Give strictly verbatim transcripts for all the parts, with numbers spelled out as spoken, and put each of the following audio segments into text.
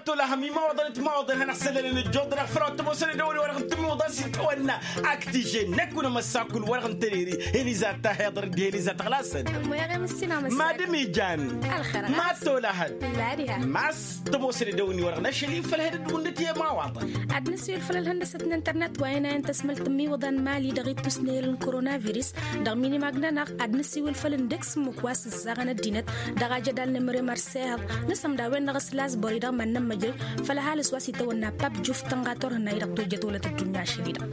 Tolăhăm imawaḍăn d-imawaḍăn hanăɣ-sălălăn ăjjoḍănăɣ făll-a-wa t-ămoosăn d-ăwănni-wa-dăɣ n-tǝmmiwǝḍa s-itawănna. Aktijăn năkk unămăssakul-wa-dăɣ n-tăriri heliza tahhiḍăr d-heliza taɣlasăn. Mad-ǝmijan. Ma s-tolăhăd. Ma s-tămoosăn d-ăwănni-wa-dăɣ n-ašăl-i făll-ehăd d-wǝnnǝt i-imawaḍăn. Ad-nǝsiwǝl făll-ălhăndăsăt n-internet wa inayăn tăsmălt tǝmmiwǝḍa n-imali dăɣ-ittus n-ehel n-koronavirus. Dăɣ-minimag-nănăɣ ad-nǝsiwǝl făll-ǝndek s-ǝmmǝk wa s-ǝzzaɣăn ăddinăt dăɣ-ajădal n-emăre mărsehăḍ. Nǝsǝmda a-wen-dăɣ s-lazbări dăɣ-iman n-ămmăjrăy făll-ăhalǝs wa s-itawănna pap juf tănɣa turhǝnna-i-dăɣ tojjăt wălăt ăddunya ašăl-i-dăɣ.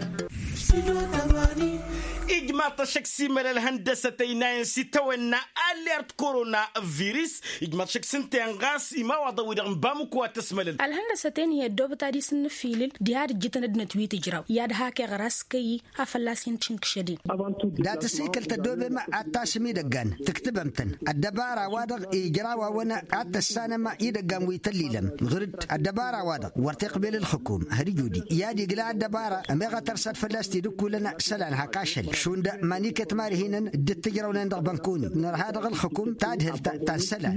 Ijmaḍ-t ăššăk s-imăla ălhăndăsăt ăynayăn s-itawănna aller d-koronavirus. Ijmaḍ-t ăššăk s-ǝnta-en ɣas imawaḍăn-wi-dăɣ n-bamuk wa t-ăsmălăn. Ălhăndăsăt-en hi-ăddoobăt ad-isǝnnǝfilǝl diha d-ǝjjǝtăn ăddinăt wi tǝjraw i-ad-hak-eɣ ras kăyy. A fălla-s hin-t-inkǝšădin. Dat-ăsikǝl tăddoobem ad-tasǝm idăggan tǝktǝbăm-tăn ăddăbara-wa-dăɣ ijraw-awăn ad-tăssanăm idăggan wi tăllilăm ɣǝr-dd ăddăbara-wa-dăɣ wăr t-iqbel ǝlxǝkum. Hăr ijudi i-ad-igla ăddăbara ămeɣ a tărsăd fălla-s tidǝkkulăn isălan hak ašăl šund ma n-iket mari-hin-ǝn dd-tǝjrăwnen dăɣ-bănkoni nărha dăɣ-ǝlxǝkum tadhǝlt ta n-isălan.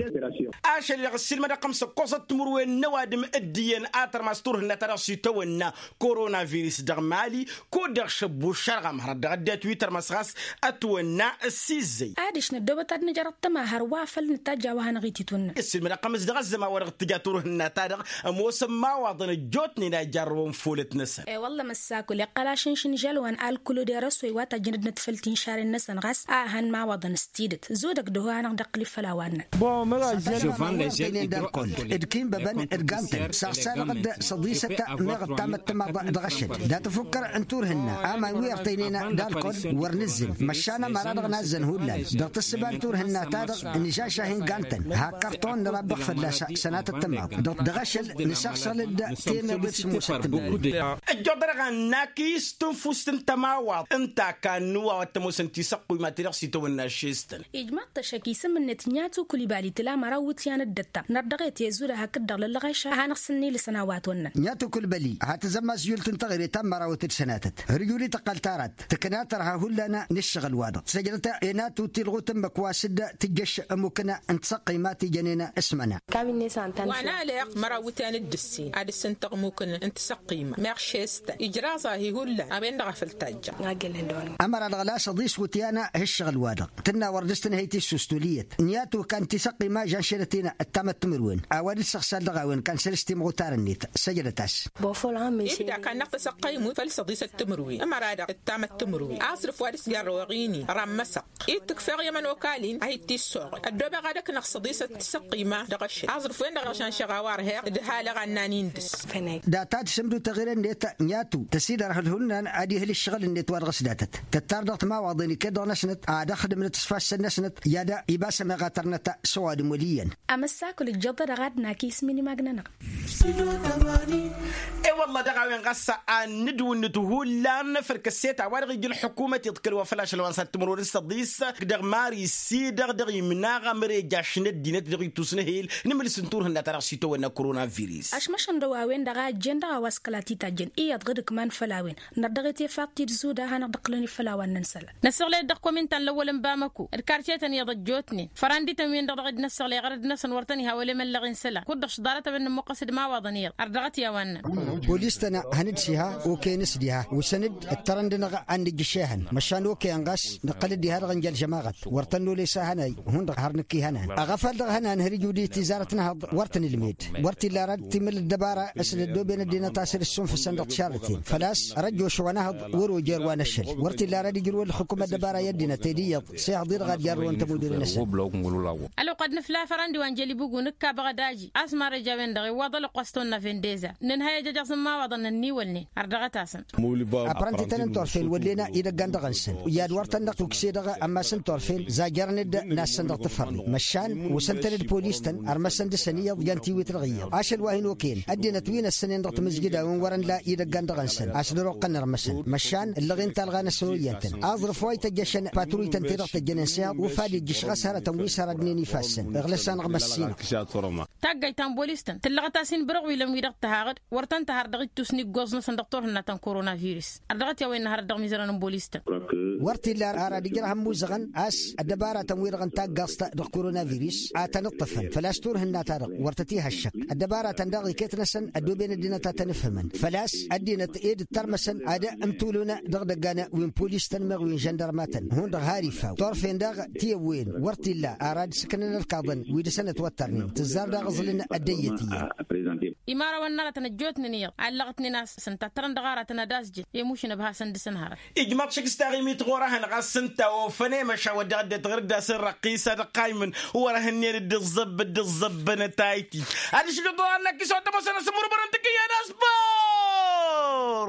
Ašăl-i-dăɣ ăssiilmăd ăqqăm s-ăkkoẓăt timǝrwen n-ăwadǝm d-iyyăn a tărmas turhǝnna-ta-dăɣ s-itawănna koronavirus dăɣ-mali kud-dăɣ šăbbu šărɣăm hărăt dăɣ-ăddinăt wi tărmăs ɣas ătwănna s-izzăy. Adiš năddoobăt ad-nǝjrăḍ tămahăr wa făl nǝtajj a-wa hanăɣ-ititwǝnnăn. Ǝssilmăd ăqqăm s-dăɣ-ăzzăman wa dăɣ-tǝja turhǝnna-ta-dăɣ ămoosăn imawaḍăn ăjjootnen a ijarrăwăn folăt-năsăn. E-wălla măssakul iqqăl ašǝnšǝn žălwan alkǝlo d-erăswăy wa tajjăn ăddinăt făll-tinšaren-năsăn ɣas a hăn imawaḍăn s-tidǝt zudăk dăɣ-hu a hanăɣ-dd-iqqǝl i-făll-a-wa ǝnnăn. Ǝnta-inen d-alkol d-kinbăbăn d-gantăn saɣ-sanăɣ-dd săḍisăt meɣ ǝttamăt tǝmaḍ dăɣ-ašăl dat-ăfukkăr n-turhǝnna aman wi ărtăynen d-alkol wăr nǝzzǝn măšan ămăra-dăɣ nazzăn hullan dăɣ-tǝssǝba n-turhǝnna-ta-dăɣ nǝžaša hin-gantăn hak kărton nărabbăx fălla-s sănatăt tǝmaḍ dăɣ-ašăl nǝsaɣsăl-dd temeḍe d-sǝmmosăt tǝmmaḍe. Ăjjoḍănăɣ a n-akǝy s-tǝnfust n-tămawaḍt ǝnta a kannǝw a-wa t-ămoosăn tisăqquymat-i-dăɣ s-itawănna šestăn. Ijmaḍ-t ăššăk isǝm-net ǝnyatukǝl ibali tǝla măraw iwǝtyan d-ăttam nărdăɣet i-zud ad-hakd-dăɣ lăllăɣeša ad-hanăɣ-sǝnnilǝsăn a-wa ătwănnăn. Ǝnyatukǝl ibali ad-tǝzămmas jul-t n-taɣre ta n-mărawăt d-sănatăt hărjul-i tăqqal tarat tǝkna tărha hullan n-ǝššăɣǝl-wa-dăɣ săjdăt enatu tilɣut ǝmmǝk wa s-dd-tǝjjăš ămmukǝn n-tisăqqima ti jănen s-măna. Wa n-aleɣ măraw iwǝtyan d-ǝssin ad-ǝssǝntăɣ ămmukǝn n-tisăqqima meɣ šestăn ijraẓ-ahi hullan a-wen-dăɣ a făl tajjăɣ. Ămăra-dăɣ la săḍis iwǝtyan h-ǝššăɣǝl-wa-dăɣ tǝnna wăr dăr-s tǝnhăy tissust wăl' iyyăt n-i-ad-tukan tisăqqima žan šerăt-in ăttamăt timǝrwen a-wa dd-săɣsal dăɣ-a-wen kan săr-s timɣutar-net. Săjdăt-as. Ibda kannăɣ tasăqqaymut făll-săḍisăt timǝrwen ămăra-dăɣ ăttamăt timǝrwen aẓrǝf wa dăr-s jarrăwăɣ-ini rammăsăɣ-t i-dd-tǝkfeɣ i-ămănokal-in a hi-t-issooɣăl ăddobeɣ ad-ăknăɣ săḍisăt tisăqqima dăɣ-ašăl aẓrǝf-wen-dăɣ ăɣšanšăɣ a-wa ărheɣ d-halăɣ annan-in dăr-s. Data d-sǝmdǝw taɣire-net n-i-ad-tu tăsidărhǝl hullan ad-ihǝl ǝššăɣǝl-net wa dăɣ-s datăt tăttar dăɣ-timawaḍen iket-dăɣ-năsnăt ad-ăxdǝmnăt s-ifassăn-năsnăt i-ad-ibas ămeɣatărnăt s-ăwadǝm wăl' iyyăn. Amăssakul ǝjjăḍ-dăɣ ad-nakǝy s-minimag-nănăɣ. E-wălla dăɣ-a-wen ɣas a n-nǝdwǝnnǝt hullan făll-kăsset a-wa-dăɣ ija ălḥukumăt iḍkăl wa făl ašăl wa n-săr timǝrwen s-tăḍis dăɣ-mari s-i-dăɣ dăɣ-imnaɣ amrejjaš n-ăddinăt dăɣ-ittus n-ehel n-imǝls n-turhǝnna-ta-dăɣ s-itawănna koronavirus. Ašmăšăn dăɣ-a-wen-dăɣ a ăjjeen dăɣ-a-wa s-kăla t-itajjăn iyyăḍ ɣǝd ǝkman făll-a-wen nărdăɣ-et efat-t-dd zuda a hanăɣ-dd-ǝqqǝlăn i-făll-a-wa ǝnnăn isălan. Năsiɣlăy-dd dăɣ-kominta n-lăwwăl n-bamăko d-kartye-tăn iyyăḍ ăjjootnen fărandităn-win-dăɣ dăɣ-dd-năssăɣlăy ɣărăd-năsăn wăr tăn-iha wălemăllăɣ-in isălan kud-dăɣ šḍarăt a-wen nǝmmuqqăs d-imawaḍăn iyyăḍ ărdăɣăt i-a-wa ǝnnăn. Polis-tăn hăn-dd s-iha okăyăn s-dd-iha wǝsăn-dd ǝttărăn-dăɣ ad-nǝjjǝš ehăn măšan okăyăn ɣas nǝqqăl-dd diha-dăɣ ǝnja ălžămaɣăt wăr tăn-nole s-ehăn-ay hundăɣ har nǝkk ihănan. Ăɣăfal dăɣ-ehănan har ijud-i tizarăt n-ehăḍ wăr tăn-ǝlmed wăr t-illa ara d-timǝl ăddăbara s-dd-ăddoben ăddinăt a-s dd-ǝssunfǝsăn dăɣ-tišarrăten făl-a-s răjjoš wa n-ehăḍ wăr-ojăr wa n-ašăl wăr t-illa ara d-ijrǝw ălxǝkum ăddăbara i-ăddinăt ed iyyăḍ s-ehăḍ-i-dăɣ ad-jarrăwăn tămudăre-năsăn. Ălwăqq ad-nǝfla fărandi wa n-jălibugu nǝkk abăɣ ădaji a-s marăj a-wen-dăɣ iwwăḍ ălwăqq wa s-tăwănna vendeza nǝnhăy ejăj a-s n-imawăḍăn ănniwălnen ărdăɣăt-asăn. Apărăn-ti-tăn n-turfen wăllen idăggan dăɣ-năsăn i-ad-wăr tăn-dăɣ tukse dăɣ-ammas n-turfen zajărăn-dd nassăn dăɣ-tǝfărre măšan wǝsăn-tăn-dd polis-tăn ărmăsăn dăɣ-săn iyyăḍ jan tiwit-dăɣ iyyăḍ ašăl wa hin-okăyăn ăddinăt wi n-ăssănen dăɣ-timǝzjǝd a-wen wăr-ănla idăggan dăɣ-năsăn a-s dăr-oqqăn ărmăsăn măšan ǝllăɣ-in talɣa n-ăsănoyyăn-tăn aẓrǝf wa ităjjăšăn patruy-tăn-te-dăɣ tăjjănen s-iyyăḍ ufad ijjǝš ɣas hărătăn wi s-hărădnen ifassăn. Iɣlăs-anăɣ măssinăɣ. Taggayt ta n-bolis-tăn tǝllăɣăt-as-in. Bărăɣ wi lăn-wi-dăɣ tăhaɣăd wăr tăn-tăhar dăɣ-ittus n-iggoẓ-năsăn dăɣ-turhǝnna ta n-korona virus. Ărdăɣăt i-a-wen nǝhărăt dăɣ-mizărăn n-bolis-tăn. Wăr t-illa ara ad-ǝjrăh ămmuuzăɣăn a-s ăddăbaratăn-wi-dăɣ n-taggaẓt dăɣ-korona virus a tăn-ǝṭṭǝfăn făl-a-s turhǝnna-ta-dăɣ wăr tăt-ihăššăk. Ăddăbaratăn daɣ iket-năsăn ăddooben ăddinăt a tăn-ǝfhǝmăn făl-a-s ăddinăt ed ǝttărmăsăn ad-ǝmtulǝwăn dăɣ-idăggan wi n-polis-tăn meɣ wi n-žăndărma-tăn hundăɣ har ifaw turfen daɣ. Tiyăwwen wăr t-illa ara ad-sǝknăn ărkaḍăn wi dăɣ-săn ătwăttărnen tǝzzar daɣ ǝẓlǝn ăddăyyăt iyyăn. Imarawăn n-aratăn ăjjootnen iyyăḍ allăɣătnen a-s ǝntăttărăn dăɣ-aratăn ad-asjǝn i-mušǝn ăbhasăn dăɣ-săn hărăt. Ijmaḍ šik s-taɣimit ɣur-ehăn ɣas ǝnta a ofăn i-măšawăt dăɣ-ăddinăt ɣur-dd-asǝn răqqisa dăɣ-qaymǝn wăr-ehăn-nen dd-ǝẓẓăbb dd-ǝẓẓăbbăn taytit. Ad-išlǝḍ ɣur-ehăn n-akis wa t-ămoosăn asǝmmurǝmăr n-tǝkǝyya n-aspor.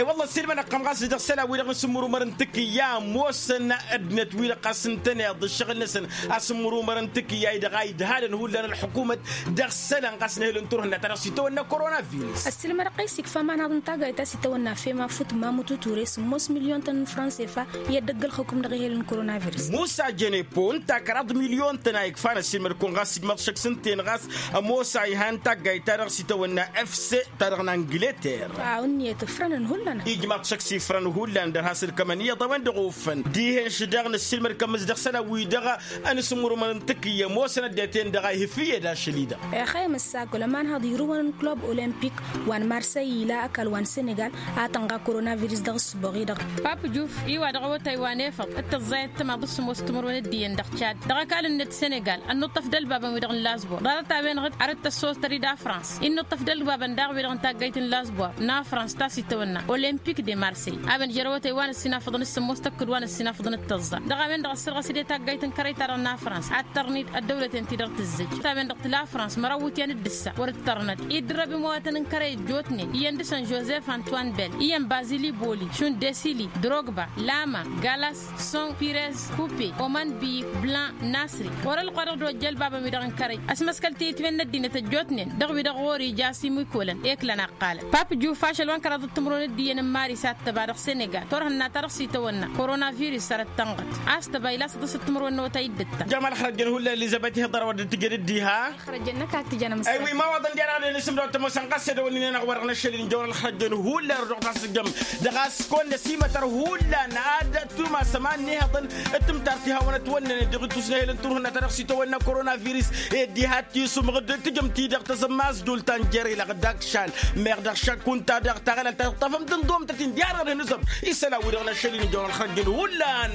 I-wălla ăssiilmăn ăqqăm ɣas dăɣ-isălan-wi-dăɣ n-asǝmmurǝmăr n-tǝkǝyya ămoosăn ăddinăt-wi-dăɣ ɣas ǝntăneḍ ǝššăɣǝl-năsăn asǝmmurǝmăr n-tǝkǝyya-i-dăɣ a idhalăn hullan ălḥukumăt dăɣ-isălan ɣas n-ehel n-turhǝnna ta dăɣ-s itawănna korona virus. Ăssiilmădăɣ-t a-s ikfa imanhaḍ n-taggayt ta s-itawănna fema fut mamut uture sǝmmos milyon-tăn n-fransefa i-ăddăgg ălxukǝm dăɣ-ehel n-koronavirus. Musa jănepo ǝnta kăraḍ milyon-tăn a ikfan ăssiilmăd-kăwăn ɣas ijmăḍ šăkk s-ǝnta-en ɣas ămoos a ihan taggayt ta dăɣ-s itawănna efse ta dăɣ-n angleter. A-wa ǝnniyăt ǝfrănăn hullan. Ijmăḍ šăkk s-ifrăn hullan dăr-has-ǝlkămăn iyyăḍ a-wen-dăɣ ofăn dihen šǝddeɣ n-ăssiilmăd-kămăs dăɣ-isălan-wi-dăɣ ănǝsǝmmurǝmăn n-tǝkǝyya ămoosăn ăddinăt-en-dăɣ a ihǝfǝyed ašăl-i-dăɣ. Ixăyăm ǝssakăl ămanhăḍ irǝwăn n-klub olimpik wa n-marsăy ila ăkall wa n-senegal a tănɣa koronavirus dăɣ-ǝssǝboɣ-i-dăɣ. Pap juf-i wa dăɣ-awătay wa n-efăḍ d-tăẓẓayăt timaḍ d-sǝmmos timǝrwen d-iyyăn dăɣ-tšad dăɣ-ăkall-net senegal ănnuṭṭăf d-ălbabăn-wi-dăɣ n-lazbor ḍarăt-a-wen-dăɣ arăt tăssoẓtăr-dd afrans innăṭṭăf d-ălbabăn daɣ-wi-dăɣ n-taggayt n-lazbor n-afrans ta s-itawănna olimpik de marsey a-wen jer-awătay wa n-ăssinafăḍăn d-sǝmmos tăkkǝd wa n-ăssinafăḍăn d-tăẓẓa dăɣ-a-wen-dăɣ ăssărɣăs-dd i-taggayt n-kărăy-ta-dăɣ n-afrans ad-tărnid ăddăwlăten-ti-dăɣ tǝzzǝj. Ta-wen-dăɣ tǝla afrans măraw iwǝtyan d-ǝssa wăr-ǝttărnăd iddǝrrăb imawatăn n-kărăy ăjjootnen iyyăn dăɣ-săn jozef antoine bell iyyăn bazili boli šund desili drogba lama galas son pirez kupe oman biyik blan nasri. Wăr-ălqwa dăɣ-dd-ojja ălbabăn-wi-dăɣ n-kărăy ăsmăskăl tiyǝtwen n-ăddinăt ăjjootnen dăɣ-wi-dăɣ ɣur-ija s-imǝykolăn eklan aqqalăn pap juf ašăl wa n-kăraḍ d-timǝrwen d-iyyăn n-maris a t-tăba dăɣ-senegal turhǝnna ta dăɣ-s itawănna koronavirus săr-ăttănɣăt a-s tăba ilasăḍ s-ăttămărwen n-otay dd-ǝtta. Jămal xărăjăn hullan elizăbet ihăḍăr wăr dd-tǝjjăn dd-iha. Xărăjăn năkk a t-tǝjăn amǝssan. Aywa imawaḍăn diya-dăɣ ad-ănisǝmdăw tămoosăn ɣas edăwănnin-en-dăɣ wăr-dăɣ n-ašăl-in jăwăn ălxărăjăn hullan rădoɣ-t a-s ǝjjăm dăɣ-a-s kăwăn-năsimătăr hullan ad-tumasăm ad-nihăḍăn d-timtartiha wa n-ătwănnănen dăɣ-ittus n-ehel n-turhǝnna ta dăɣ-s itawănna koronavirus. Ed diha t-isǝmɣǝd tǝjǝm-t-i-dăɣ tazămmazdult ta n-jer-i-dăɣ d-akšal meɣ dăɣ-šakkun-ta-dăɣ taɣălalt ta tăṭṭăfăm d-ǝnḍumtăt-in diya-dăɣ ad-hǝnǝzăm isălan-wi-dăɣ n-ašăl-in jăwăn ălxărăjăn hullan.